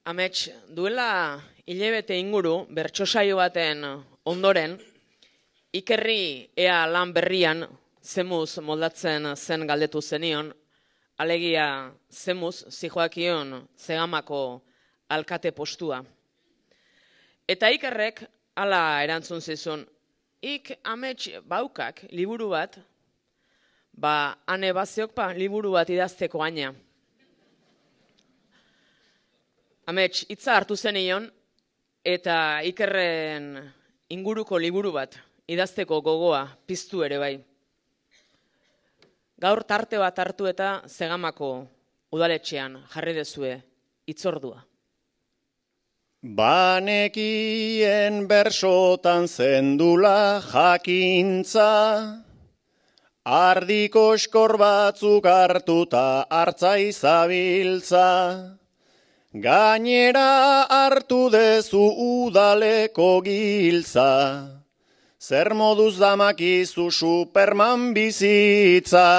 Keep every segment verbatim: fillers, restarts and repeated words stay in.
Amets, duela hilabete inguru bertso saio baten ondoren, Ikerri ea lan berrian zemuz moldatzen zen galdetu zenion, alegia zemuz zijoakion Zegamako alkate postua. Eta Ikerrek hala erantzun zizun, ik amets baukak liburu bat, ba ane baziok pa liburu bat idazteko aina. Amets, hitza hartu zenion, eta Ikerren inguruko liburu bat idazteko gogoa piztu ere bai. Gaur tarte bat hartu eta Zegamako udaletxean jarri dezue hitzordua. Banekien bersotan zendula jakintza, ardiko eskor batzuk hartuta hartza izabiltza, gainera hartu dezu udaleko giltza, zer moduz damakizu Superman bizitza.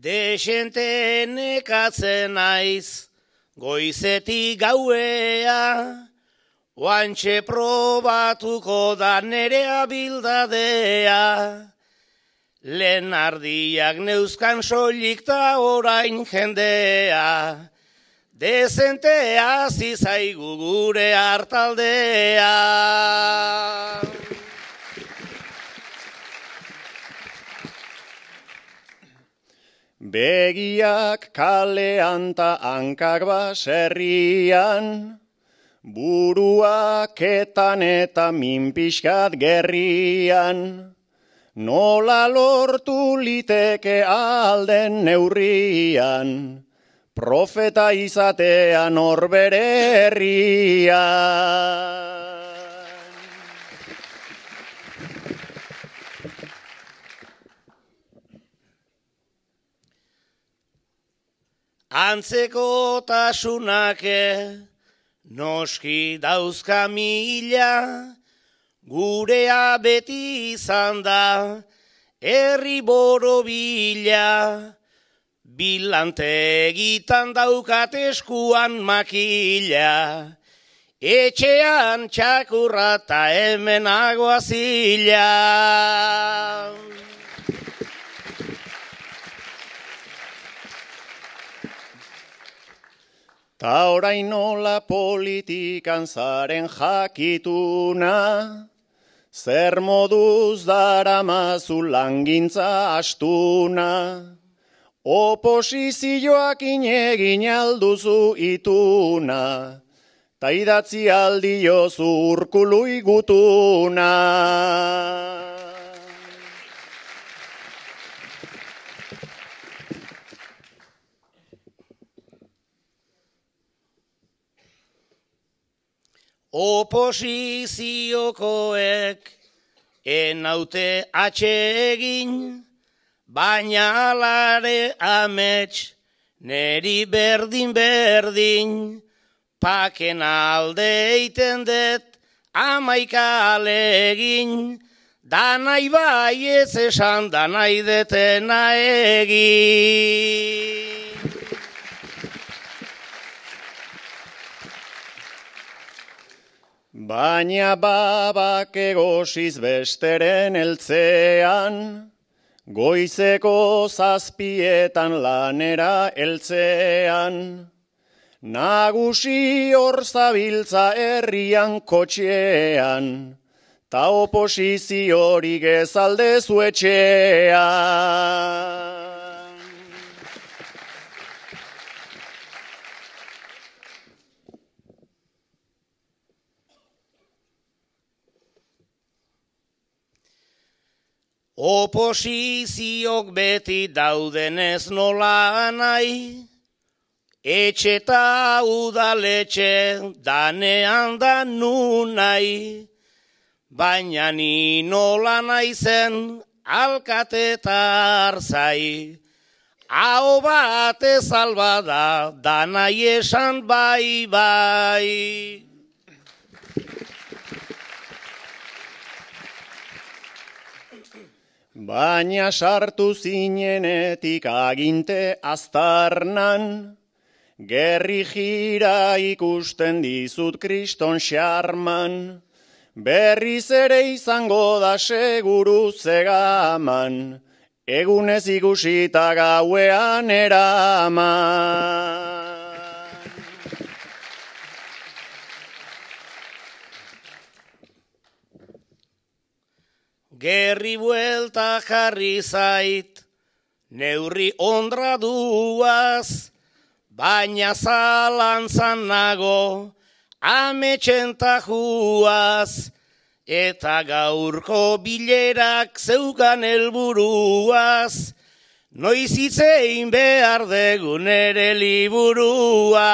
Desente nekatzen naiz, goizetik gauea, oantxe probatuko da nere abildadea. Lehen ardiak neuzkan soilik ta orain jendea, dezente hasi zaigu gure hartaldea. Begiak kalean ta hankak baserrian, buruak etan eta minpiskat gerrian, nola lortu liteke alden neurrian, profeta izatean horbere herrian. Antzeko tasunake noski dauzka mila, gurea beti izan da herri borobila, bilante egitan daukat eskuan makila, etxean txakurra ta hemen agoazila. Ta orain nola politikan zaren jakituna, zer moduz daramazu langintza astuna, oposizioak inegin alduzu ituna, ta idatzi aldiozu Urkului gutuna. Oposiziokoek enaute atsegin, baina alare amets neri berdin berdin, paken alde eiten det amaika alegin, danai bai ez esan danai detena egin. Baina babak egosiz besteren eltzean, goizeko zazpietan lanera eltzean, nagusi hor zabiltza herrian kotxean, ta oposiziorik ez aldezu etxean. Oposiziok beti daudenez nola nahi, etxeta udaletxe danean da nu nahi, baina ni nola naizen alkate tarzai, hau bate salbada danai esan bai bai. Baina sartu zinenetik aginte aztarnan, gerri jira ikusten dizut kriston xarman, berriz ere izango da seguru zegaman, egunez ikusita gauean eraman. Gerri buelta jarri zait, neurri ondra duaz, baina zalantzan nago, ametxen tajuaz, eta gaurko bilerak zeukan helburuaz, noiz hitzein behar degun ere liburua.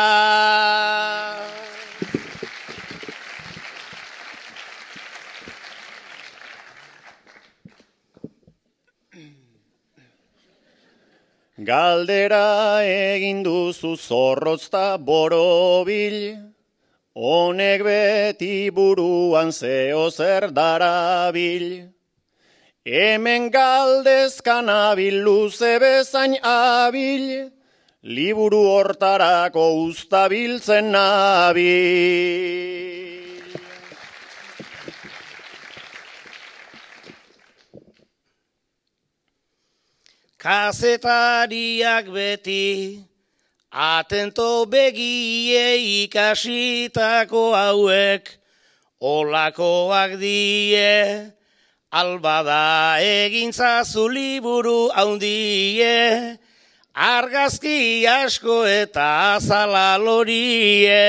Galdera egin duzu zorrozta borobil, honek beti buruan zeo zer darabil. Hemen galdezkan abil luze bezain abil, liburu hortarako uztabiltzen nabil. Kazetariak beti, atento begie ikasitako hauek, olakoak die, albada egintzazu liburu haundie, argazki asko eta azala lorie.